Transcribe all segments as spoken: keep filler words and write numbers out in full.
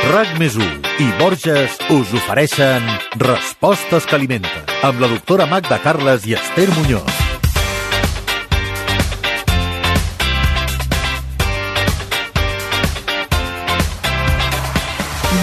RAC més u i Borges us ofereixen Respostes que alimenten, amb la doctora Magda Carles i Esther Muñoz.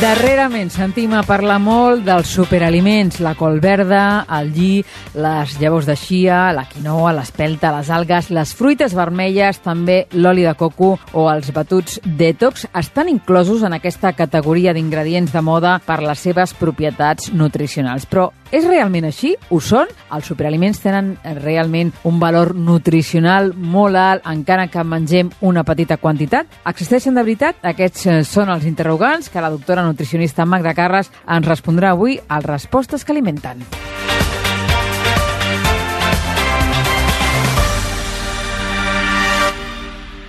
Darrerament sentim a parlar molt dels superaliments, la col verda, el lli, les llavors de chia, la quinoa, l'espelta, les algues, les fruites vermelles, també l'oli de coco o els batuts detox estan inclosos en aquesta categoria d'ingredients de moda per les seves propietats nutricionals. Però és realment així? Ho són? Els superaliments tenen realment un valor nutricional molt alt, encara que mengem una petita quantitat? Existeixen de veritat? Aquests són els interrogants que la doctora nutricionista Magda Carles ens respondrà avui a Respostes que alimenten.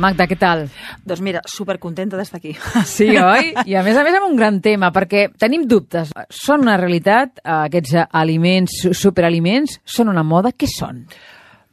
Magda, què tal? Doncs mira, supercontenta d'estar aquí. Sí, oi? I a més a més amb un gran tema, perquè tenim dubtes. Són una realitat aquests aliments, superaliments? Són una moda? Què són?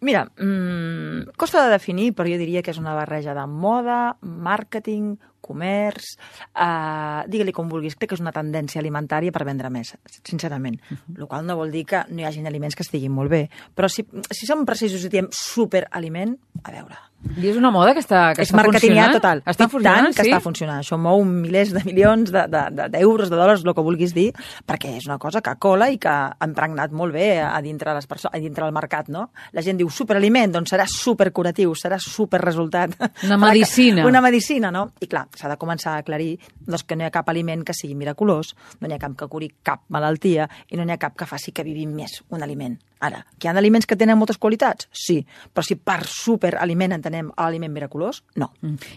Mira, mmm, costa de definir, però jo diria que és una barreja de moda, màrqueting, comerç, eh, digue-li com vulguis, crec que és una tendència alimentària per vendre més, sincerament. Uh-huh. El qual no vol dir que no hi hagi aliments que estiguin molt bé, però si, si som precisos i diem superaliment, a veure... I és una moda que està, que és està funcionant? Total. Està funcionant, tant que sí? està funcionant. Això mou milers de milions d'euros, de, de, de, de dòlars, el que vulguis dir, perquè és una cosa que cola i que ha impregnat molt bé a dintre, les perso- a dintre del mercat, no? La gent diu superaliment, doncs serà supercuratiu, serà superresultat. Una medicina. Una medicina, no? I clar, s'ha de començar a aclarir doncs, que no hi ha cap aliment que sigui miraculós, no n'hi ha cap que curi cap malaltia i no n'hi ha cap que faci que vivim més un aliment. Ara, que hi ha aliments que tenen moltes qualitats? Sí, però si per superaliment entenem l'aliment miraculós, no.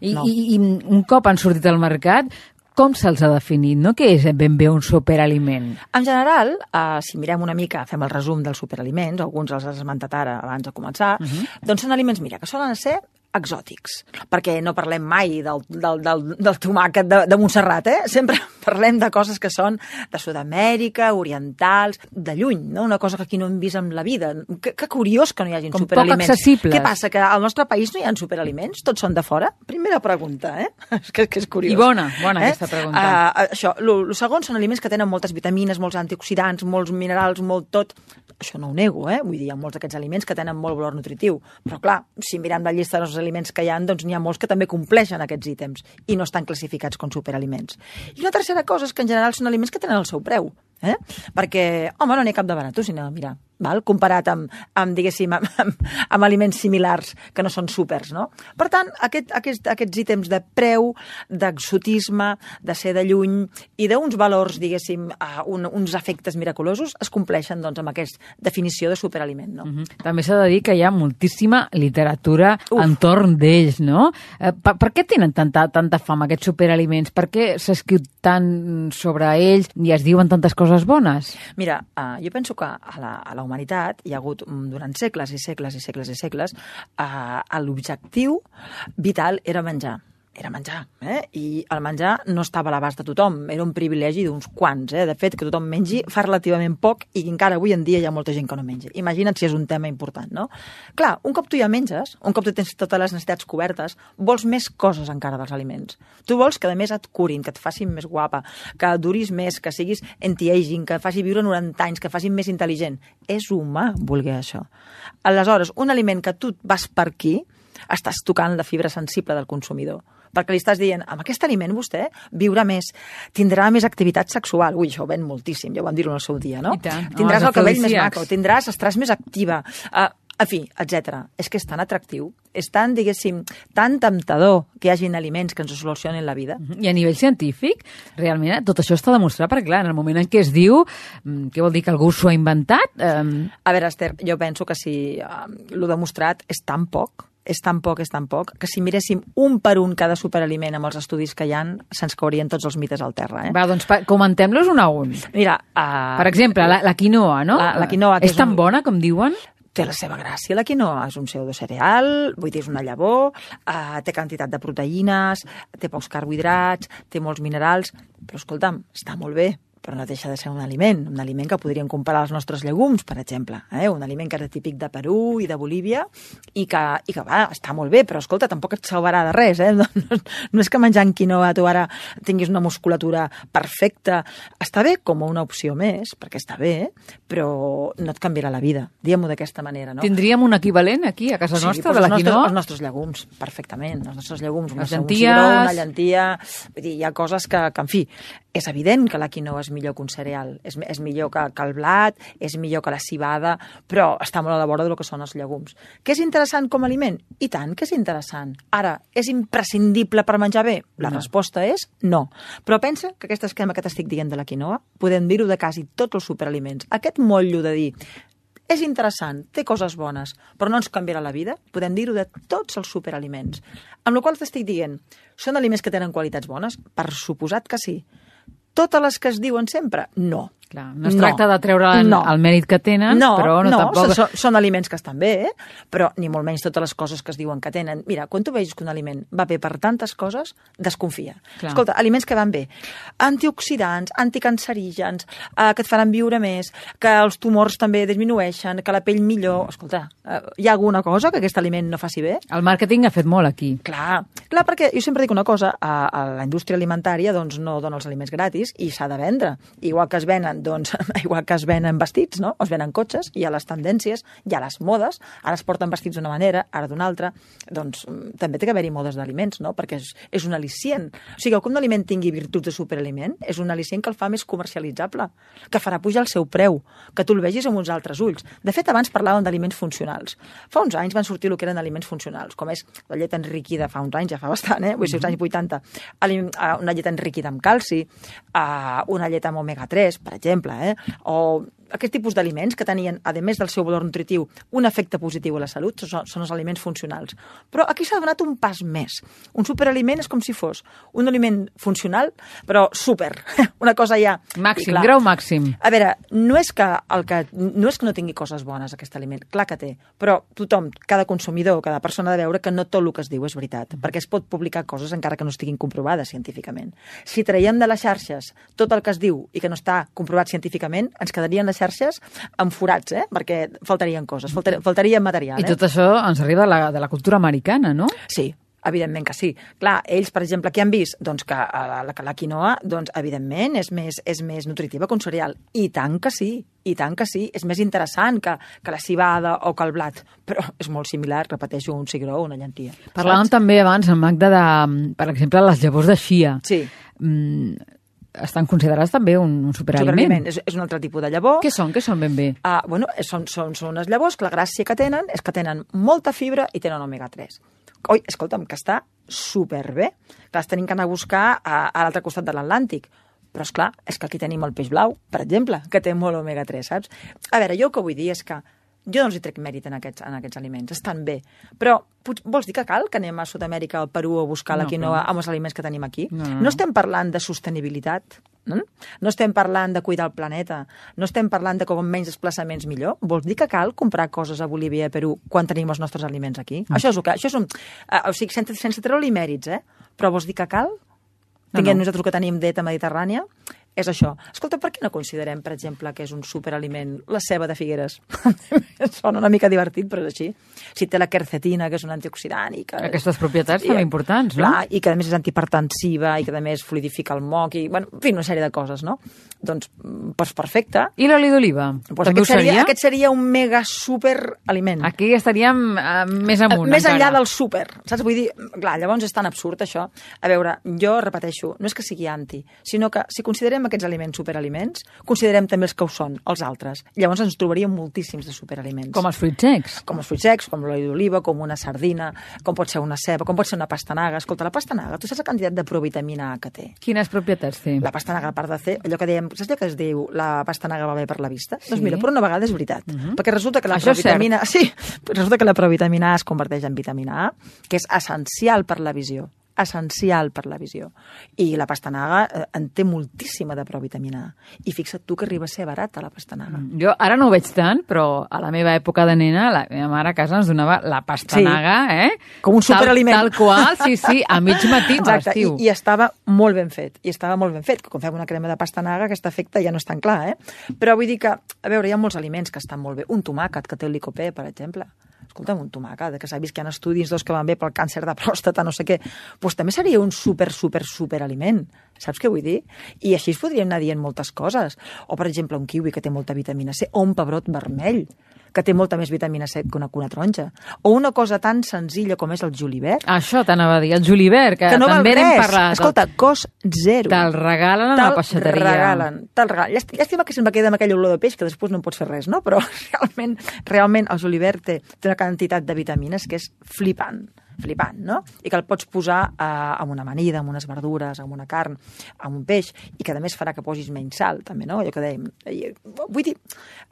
I, no. I, I un cop han sortit al mercat, com se'ls ha definit? No? Què és ben bé un superaliment? En general, eh, si mirem una mica, fem el resum dels superaliments, alguns els has esmentat ara abans de començar, uh-huh. doncs són aliments, mira, que solen ser exòtics, perquè no parlem mai del, del, del, del tomàquet de, de Montserrat, eh? Sempre parlem de coses que són de Sud-amèrica, orientals, de lluny, no? Una cosa que aquí no hem vist en la vida. Que, que curiós que no hi hagin com superaliments. Poc accessibles. Què passa, que al nostre país no hi ha superaliments? Tots són de fora? Primera pregunta, eh? que, que és curiós. I bona, bona eh? aquesta pregunta. Uh, això, el segon són aliments que tenen moltes vitamines, molts antioxidants, molts minerals, molt tot. Això no ho nego, eh? Vull dir, hi ha molts d'aquests aliments que tenen molt valor nutritiu. Però clar, si mirem la llista dels aliments que hi ha, doncs n'hi ha molts que també compleixen aquests ítems i no estan classificats com superaliments. I una tercera cosa és que en general són aliments que tenen el seu preu, eh? Perquè, home, no n'hi ha cap de barat, si anem a mirar, val? Comparat amb, amb diguéssim, amb, amb, amb aliments similars que no són súpers, no? Per tant, aquest, aquest, aquests ítems de preu, d'exotisme, de ser de lluny i d'uns valors, diguéssim, uh, un, uns efectes miraculosos es compleixen doncs, amb aquesta definició de superaliment, no? Uh-huh. També s'ha de dir que hi ha moltíssima literatura Uf. entorn d'ells, no? Eh, per, per què tenen tanta, tanta fama aquests superaliments? Per què s'escriu tant sobre ells i es diuen tantes coses bones? Mira, uh, jo penso que a la, a la humanitat hi ha hagut durant segles i segles i segles i segles eh, l'objectiu vital era menjar. Era menjar, eh? I el menjar no estava a l'abast de tothom, era un privilegi d'uns quants, eh? De fet, que tothom mengi fa relativament poc i encara avui en dia hi ha molta gent que no menja. Imagina't si és un tema important, no? Clar, un cop tu ja menges, un cop tu tens totes les necessitats cobertes, vols més coses encara dels aliments. Tu vols que a més et curin, que et facin més guapa, que duris més, que siguis anti-aging, que faci viure noranta anys, que facin més intel·ligent. És humà voler això. Aleshores, un aliment que tu vas per aquí, estàs tocant la fibra sensible del consumidor. Perquè li estàs dient, amb aquest aliment vostè viurà més, tindrà més activitat sexual. Ui, això ho ven moltíssim, ja ho vam dir-ho en el seu dia, no? I tant. Tindràs oh, el cabell més maco, tindràs, estaràs més activa, uh, en fi, etcètera. És que és tan atractiu, és tan, diguéssim, tan temptador que hi hagin aliments que ens solucionin la vida. I a nivell científic, realment, tot això està demostrat, perquè clar, en el moment en què es diu, què vol dir que algú s'ho ha inventat? Um... A veure, Esther, jo penso que si uh, l'ho demostrat és tan poc, és tan poc, és tan poc, que si miréssim un per un cada superaliment amb els estudis que hi ha, se'ns caurien tots els mites al terra. Eh? Va, doncs comentem-los un a un. Mira, uh, per exemple, la, la quinoa, no? La, la quinoa, que és, és tan un... bona com diuen? Té la seva gràcia, la quinoa. És un pseudocereal, vull dir, és una llavor, uh, té quantitat de proteïnes, té pocs carbohidrats, té molts minerals, però escolta'm, està molt bé. però no deixa de ser un aliment, un aliment que podríem comparar als nostres llegums, per exemple, eh? Un aliment que és típic de Perú i de Bolívia i que, i que va, està molt bé, però escolta, tampoc et salvarà de res, eh? No, no, no és que menjant quinoa tu ara tinguis una musculatura perfecta. Està bé com una opció més, perquè està bé, però no et canviarà la vida, diguem-ho d'aquesta manera, no? Tindríem un equivalent aquí, a casa Sí, nostra, doncs de la els nostres, quinoa? els nostres llegums, perfectament. Els nostres llegums, Les un llenties. cigró, una llentia... Vull dir, hi ha coses que, que, en fi, és evident que la quinoa és millor que un cereal, és, és millor que, que el blat, és millor que la cibada, però està molt a la vora del que són els llegums. Que és interessant com a aliment? I tant que és interessant. Ara, és imprescindible per menjar bé? La No. resposta és no. Però pensa que aquest esquema que t'estic dient de la quinoa, podem dir-ho de quasi tots els superaliments. Aquest motllo de dir és interessant, té coses bones, però no ens canviarà la vida, podem dir-ho de tots els superaliments. Amb la qual cosa t'estic dient, són aliments que tenen qualitats bones? Per suposat que sí. Totes les que es diuen sempre? No. Clar, no es tracta de treure no. el mèrit que tenen, no, però no, no tampoc... són, són aliments que estan bé, eh? Però ni molt menys totes les coses que es diuen que tenen. Mira, quan tu veus que un aliment va bé per tantes coses, desconfia. Clar. Escolta, aliments que van bé. Antioxidants, anticancerígens, eh, que et faran viure més, que els tumors també disminueixen, que la pell millor... Escolta, eh, hi ha alguna cosa que aquest aliment no faci bé? El màrqueting ha fet molt aquí. Clar, clar, perquè jo sempre dic una cosa, a, a la indústria alimentària doncs, no dona els aliments gratis i s'ha de vendre. Igual que es venen, doncs, igual que es venen vestits, no? Es venen cotxes, hi ha les tendències, hi ha les modes, ara es porten vestits d'una manera, ara d'una altra, doncs també té que haver-hi modes d'aliments, no? Perquè és, és un al·licient. O sigui, que un aliment tingui virtuts de superaliment és un al·licient que el fa més comercialitzable, que farà pujar el seu preu, que tu el vegis amb uns altres ulls. De fet, abans parlàvem d'aliments funcionals. Fa uns anys van sortir el que eren aliments funcionals, com és la llet enriquida, fa uns anys, ja fa bastant, eh? Vull dir, als anys vuitanta, una llet enriquida amb calci, una llet amb omega tres, per exemple, eh? O aquest tipus d'aliments que tenien, a més del seu valor nutritiu, un efecte positiu a la salut, són, són els aliments funcionals. Però aquí s'ha donat un pas més. Un superaliment és com si fos un aliment funcional, però super. Una cosa ja... Màxim, grau màxim. A veure, no és que, el que, no és que no tingui coses bones aquest aliment, clar que té, però tothom, cada consumidor, cada persona ha de veure que no tot el que es diu és veritat, perquè es pot publicar coses encara que no estiguin comprovades científicament. Si traiem de les xarxes tot el que es diu i que no està comprovat científicament, ens quedarien les xarxes amb forats, eh? Perquè faltarien coses, faltar, faltaria material. I tot eh? això ens arriba de la, de la cultura americana, no? Sí, evidentment que sí. Clar, ells, per exemple, què han vist? Doncs que la, la, la quinoa, doncs, evidentment, és més, és més nutritiva que un cereal. I tant que sí, i tant que sí. És més interessant que, que la cibada o que el blat, però és molt similar, repeteixo, un cigró o una llentia. Parlàvem saps? també abans, en Magda, de, per exemple, les llavors de xia. Sí. Mm, estan considerats també un, un superaliment. Superaliment. És, és un altre tipus de llavor. Què són? Què són ben bé? Uh, bueno, són, són, són unes llavors que la gràcia que tenen és que tenen molta fibra i tenen omega tres. Oi, escolta'm, que està superbé. Que les tenim que anar a buscar a, a l'altre costat de l'Atlàntic. Però, és clar, és que aquí tenim el peix blau, per exemple, que té molt omega tres, saps? A veure, jo el que vull dir és que jo no els hi trec mèrit en aquests, en aquests aliments, estan bé. Però vols dir que cal que anem a Sud-amèrica, al Perú, a buscar la No, quinoa però... amb els aliments que tenim aquí? No, no, no. No estem parlant de sostenibilitat, no? No estem parlant de cuidar el planeta, no estem parlant de com menys desplaçaments millor. Vols dir que cal comprar coses a Bolívia i a Perú quan tenim els nostres aliments aquí? Mm. Això és el que... Això és un, uh, o sigui, sense, sense treure-li mèrits, eh? Però vols dir que cal? Tinguem no. nosaltres que tenim dieta mediterrània? És això. Escolta, per què no considerem, per exemple, que és un superaliment la ceba de Figueres? Sona una mica divertit, però és així. Si té la quercetina, que és un antioxidant... I que... Aquestes propietats també importants, no? Clar, i que a més és antihipertensiva, i que a més fluidifica el moc, i, bueno, en fi, una sèrie de coses, no? Doncs, doncs perfecte. I l'oli d'oliva? Doncs També aquest, seria, seria? aquest seria un mega super aliment. Aquí estaríem uh, més amunt, Més encara. enllà del súper, saps? Vull dir, clar, llavors és tan absurd això. A veure, jo repeteixo, no és que sigui anti, sinó que si considerem aquests aliments superaliments, considerem també els que ho són, els altres. Llavors ens trobaríem moltíssims de superaliments. Com els fruits secs? Com els fruits secs, com l'oli d'oliva, com una sardina, com pot ser una ceba, com pot ser una pastanaga. Escolta, la pastanaga, tu saps la quantitat de provitamina A que té? Quines propietats té? La pastanaga, a part de fer, allò que dèiem, saps allò que es diu la pastanaga va bé per la vista? Sí. Doncs mira, per una vegada és veritat. Uh -huh. Perquè resulta que la Això és provitamina... Sí, resulta que la provitamina A es converteix en vitamina A, que és essencial per la visió. essencial per la visió. I la pastanaga eh, en té moltíssima de provitamina A. I fixa't tu que arriba a ser barata la pastanaga. Jo ara no ho veig tant, però a la meva època de nena, la meva mare a casa ens donava la pastanaga, sí. eh? Com un superaliment. Tal, tal qual, sí, sí, a mig matí a l'estiu. I, I estava molt ben fet, i estava molt ben fet. Quan fem una crema de pastanaga, aquest efecte ja no és tan clar, eh? Però vull dir que, a veure, hi ha molts aliments que estan molt bé. Un tomàquet que té el licopè, per exemple. Escolta'm, un tomàquet, que s'ha vist que hi ha estudis dos que van bé pel càncer de pròstata, no sé què, doncs també seria un super, super, super aliment. Saps què vull dir? I així es podríem anar dient moltes coses. O, per exemple, un kiwi que té molta vitamina C, o un pebrot vermell, que té molta més vitamina C que una, que una taronja. O una cosa tan senzilla com és el julivert. Això t'anava a dir, el julivert, que, que no també n'hem parlat. Escolta, cost zero. Te'l regalen a la peixateria. Te'l regalen, te'l regalen. Llàstima que sempre queda amb aquella olor de peix que després no en pots fer res, no? Però realment, realment el julivert té, té una quantitat de vitamines que és flipant. flipant, no? I que el pots posar eh, amb una amanida, amb unes verdures, amb una carn, amb un peix, i que a més farà que posis menys sal, també, no? Allò que dèiem. Vull dir,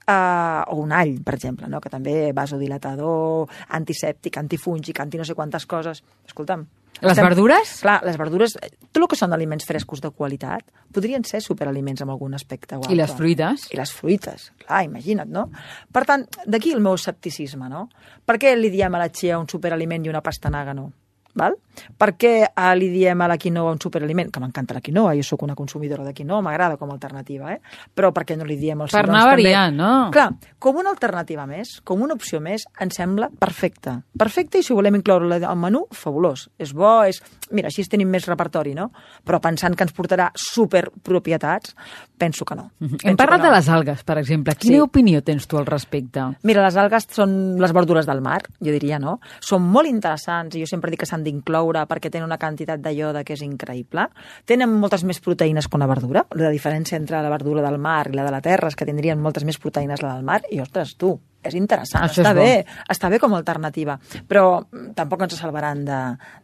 eh, o un all, per exemple, no? Que també vasodilatador, antisèptic, antifúngic, anti no sé quantes coses. Escolta'm. Les estem... verdures? Clar, les verdures, tot el que són aliments frescos de qualitat, podrien ser superaliments en algun aspecte o altre. I les fruites? I les fruites, clar, imagina't, no? Per tant, d'aquí el meu escepticisme, no? Per què li diem a la chia un superaliment i una pastanaga no? Val? Per què eh, li diem a la quinoa un superaliment? Que m'encanta la quinoa, jo sóc una consumidora de quinoa, m'agrada com a alternativa, eh? Però per què no li diem els per anar variant, no? Clar, com una alternativa més, com una opció més, em sembla perfecta. Perfecta, i si volem incloure-la al menú, fabulós. És bo, és... Mira, així tenim més repertori, no? Però pensant que ens portarà superpropietats, penso que no. Mm-hmm. Hem parlat no. de les algues, per exemple. Quina sí. opinió tens tu al respecte? Mira, les algues són les verdures del mar, jo diria, no? Són molt interessants, i jo sempre dic que s'han d'incloure perquè tenen una quantitat de iode que és increïble. Tenen moltes més proteïnes que una verdura. La diferència entre la verdura del mar i la de la terra és que tindrien moltes més proteïnes la del mar, i ostres, tu, és interessant, Això està és bé, està bé com a alternativa, però tampoc ens salvaran de,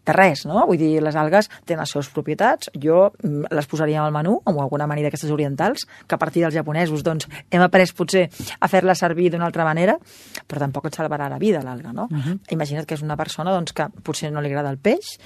de res, no? Vull dir, les algues tenen les seves propietats, jo les posaria al menú, amb alguna amanida d'aquestes orientals, que a partir dels japonesos, doncs, hem après potser a fer-la servir d'una altra manera, però tampoc et salvarà la vida, l'alga, no? Uh-huh. Imagina't que és una persona, doncs, que potser no li agrada el peix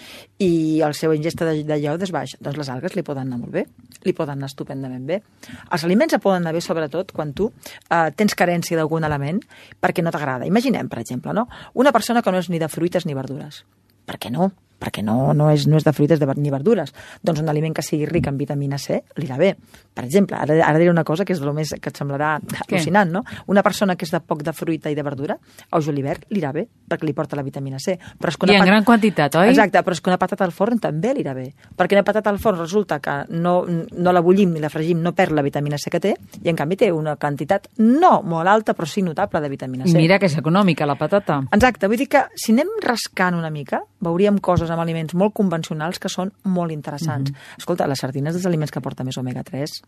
i el seu ingesta de, de iode és baix, doncs les algues li poden anar molt bé, li poden anar estupendament bé. Els aliments et poden anar bé, sobretot, quan tu eh, tens carència d'algun element, perquè no t'agrada. Imaginem, per exemple, no? Una persona que no és ni de fruites ni verdures. Per què no? Perquè no, no, és, no és de fruites de, ni verdures. Doncs un aliment que sigui ric en vitamina C li irà bé. Per exemple, ara, ara diré una cosa que és el més que et semblarà al·lucinant, no? Una persona que és de poc de fruita i de verdura, el julivert li irà bé, perquè li porta la vitamina C. Però és que una I en pat... gran quantitat, oi? Exacte, però és que una patata al forn també li irà bé. Perquè una patata al forn resulta que no, no la bullim ni la fregim, no perd la vitamina C que té, i en canvi té una quantitat no molt alta, però sí notable de vitamina C. I mira que és econòmica, la patata. Exacte, vull dir que si anem rascant una mica, veuríem coses amb aliments molt convencionals que són molt interessants. Mm-hmm. Escolta, la sardina és dels aliments que porta més omega tres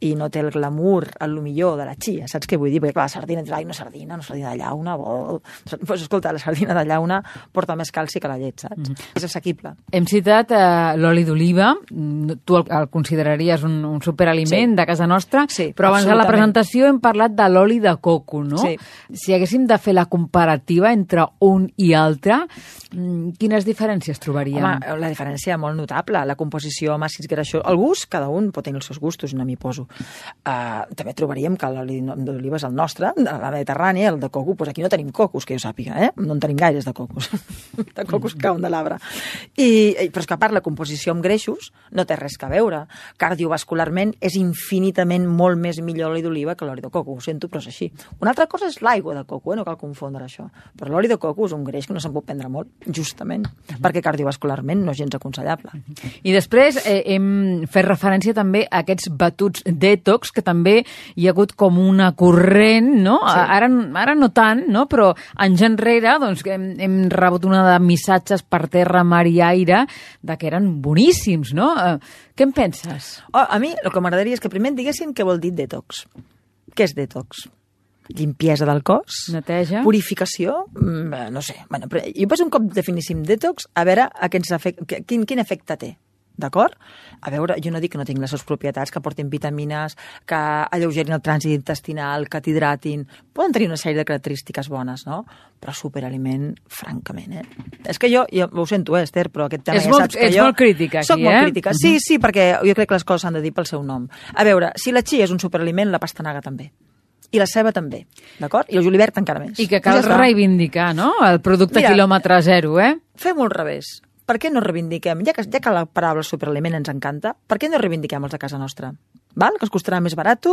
i no té el glamour, el millor de la chia, saps què vull dir? Perquè clar, la sardina, ai, no sardina, no sardina de llauna, bo... pues, escolta, la sardina de llauna porta més calci que la llet, saps? Mm-hmm. És assequible. Hem citat eh, l'oli d'oliva, tu el, el consideraries un, un superaliment sí. de casa nostra, sí, però abans de la presentació hem parlat de l'oli de coco, no? Sí. Si haguéssim de fer la comparativa entre un i altre, quines diferències trobaríem? Home, la diferència molt notable, la composició amb àcids greixosos, el gust, cada un pot tenir els seus gustos, no m'hi poso. Uh, també trobaríem que l'oli d'oliva és el nostre, de la Mediterrània, el de coco, doncs aquí no tenim cocos, que jo sàpiga, eh? No en tenim gaires de cocos. De cocos cauen de l'arbre. I, però és que a part la composició amb greixos no té res a veure. Cardiovascularment és infinitament molt més millor l'oli d'oliva que l'oli de coco, ho sento, però és així. Una altra cosa és l'aigua de coco, eh? No cal confondre això. Però l'oli de coco és un greix que no se'n pot prendre molt, justament, uh-huh. perquè cardiovascularment no és gens aconsellable. Uh-huh. I després eh, hem fet referència també a aquests batuts detox, que també hi ha hagut com una corrent, no? Sí. Ara, ara no tant, no? Però anys enrere doncs, hem, hem rebut una de missatges per terra, mar i aire de que eren boníssims, no? Eh, què en penses? Oh, a mi el que m'agradaria és que primer em diguessin què vol dir detox. Què és detox? Limpiesa del cos? Neteja? Purificació? No sé. Bueno, però jo penso un cop definíssim detox, a veure a què ens afecta, quin, quin efecte té. d'acord? A veure, jo no dic que no tinc les seves propietats, que portin vitamines, que alleugerin el trànsit intestinal, que t'hidratin. Poden tenir una sèrie de característiques bones, no? Però superaliment, francament, eh? És que jo, jo ho sento, eh, Esther, però aquest tema és ja molt, saps que ets jo... molt crítica, aquí, Soc molt eh? crítica, sí, sí, perquè jo crec que les coses s'han de dir pel seu nom. A veure, si la chia és un superaliment, la pastanaga també. I la ceba també, d'acord? I el julivert encara més. I que cal ja reivindicar, no?, el producte Mira, quilòmetre zero, eh? Fem-ho al revés. Per què no reivindiquem, ja que, ja que la paraula superaliment ens encanta, per què no reivindiquem els de casa nostra? Val? Que es costarà més barat,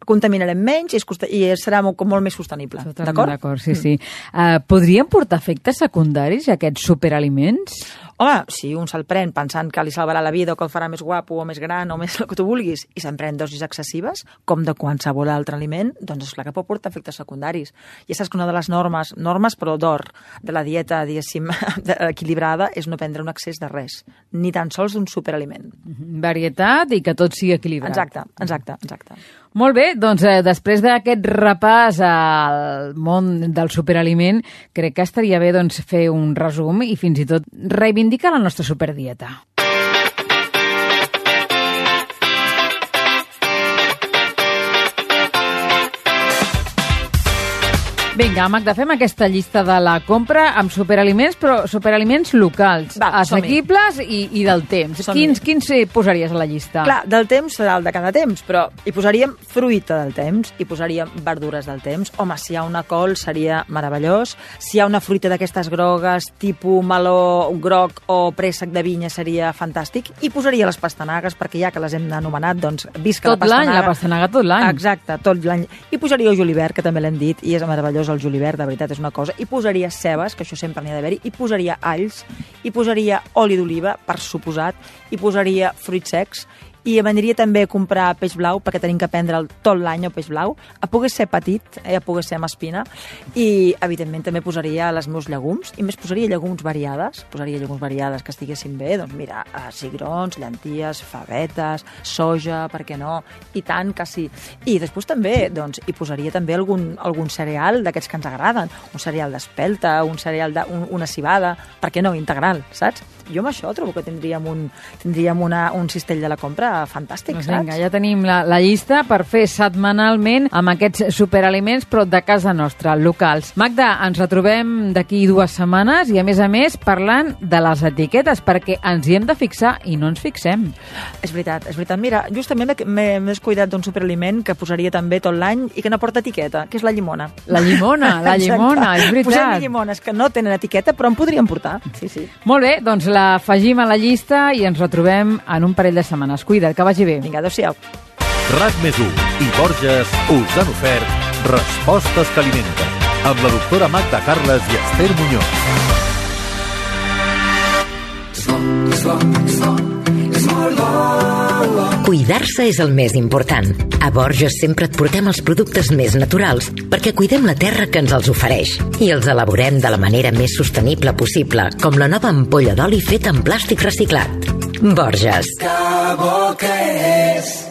contaminarem menys i, es costa, i serà molt, molt més sostenible. Totalment d'acord, sí, sí. Uh, podrien portar efectes secundaris aquests superaliments? Home, si un se'l pren pensant que li salvarà la vida o que el farà més guapo o més gran o més el que tu vulguis i se'n pren dosis excessives, com de qualsevol altre aliment, doncs és clar que pot portar efectes secundaris. Ja saps que una de les normes, normes però d'or, de la dieta, diguéssim, equilibrada, és no prendre un excés de res, ni tan sols d'un superaliment. Varietat i que tot sigui equilibrat. Exacte, exacte, exacte. Molt bé, doncs eh, després d'aquest repàs al món del superaliment, crec que estaria bé doncs, fer un resum i fins i tot reivindicar la nostra superdieta. Vinga, Magda, fem aquesta llista de la compra amb superaliments, però superaliments locals, Va, assequibles i, i del temps. Quins, quins posaries a la llista? Clar, del temps serà el de cada temps, però hi posaríem fruita del temps, hi posaríem verdures del temps. Home, si hi ha una col seria meravellós. Si hi ha una fruita d'aquestes grogues, tipus meló groc o préssec de vinya, seria fantàstic. I posaria les pastanagues, perquè ja que les hem anomenat, doncs visca tot la pastanaga. Tot l'any, la pastanaga tot l'any. Exacte, tot l'any. I posaria el julivert, que també l'hem dit, i és meravellós el julivert, de veritat, és una cosa. I posaria cebes, que això sempre n'hi ha d'haver-hi, i posaria alls, i posaria oli d'oliva, per suposat, i posaria fruits secs, i m'aniria també a comprar peix blau, perquè tenim que prendre tot l'any el peix blau, a poder ser petit, eh, a poder ser amb espina, i evidentment també posaria les meus llegums, i més posaria llegums variades, posaria llegums variades que estiguessin bé, doncs mira, cigrons, llenties, favetes, soja, per què no, i tant que sí. I després també, doncs, hi posaria també algun, algun cereal d'aquests que ens agraden, un cereal d'espelta, un cereal de, un, una cibada, per què no, integral, saps? Jo amb això trobo que tindríem un, tindríem una, un cistell de la compra fantàstic, doncs saps? Vinga, ja tenim la, la llista per fer setmanalment amb aquests superaliments, però de casa nostra, locals. Magda, ens retrobem d'aquí dues setmanes i, a més a més, parlant de les etiquetes, perquè ens hi hem de fixar i no ens fixem. És veritat, és veritat. Mira, justament m'he descuidat d'un superaliment que posaria també tot l'any i que no porta etiqueta, que és la llimona. La llimona, la llimona, és veritat. Posem llimones que no tenen etiqueta, però en podríem portar. Sí, sí. Molt bé, doncs l'afegim a la llista i ens retrobem en un parell de setmanes. Cuida't, que vagi bé. Vinga, adéu-siau. RAC més u i Borges us han ofert Respostes que alimenten, amb la doctora Magda Carles i Esther Muñoz. Cuidar-se és el més important. A Borges sempre et portem els productes més naturals perquè cuidem la terra que ens els ofereix i els elaborem de la manera més sostenible possible, com la nova ampolla d'oli feta en plàstic reciclat. Borges. Que bo que és!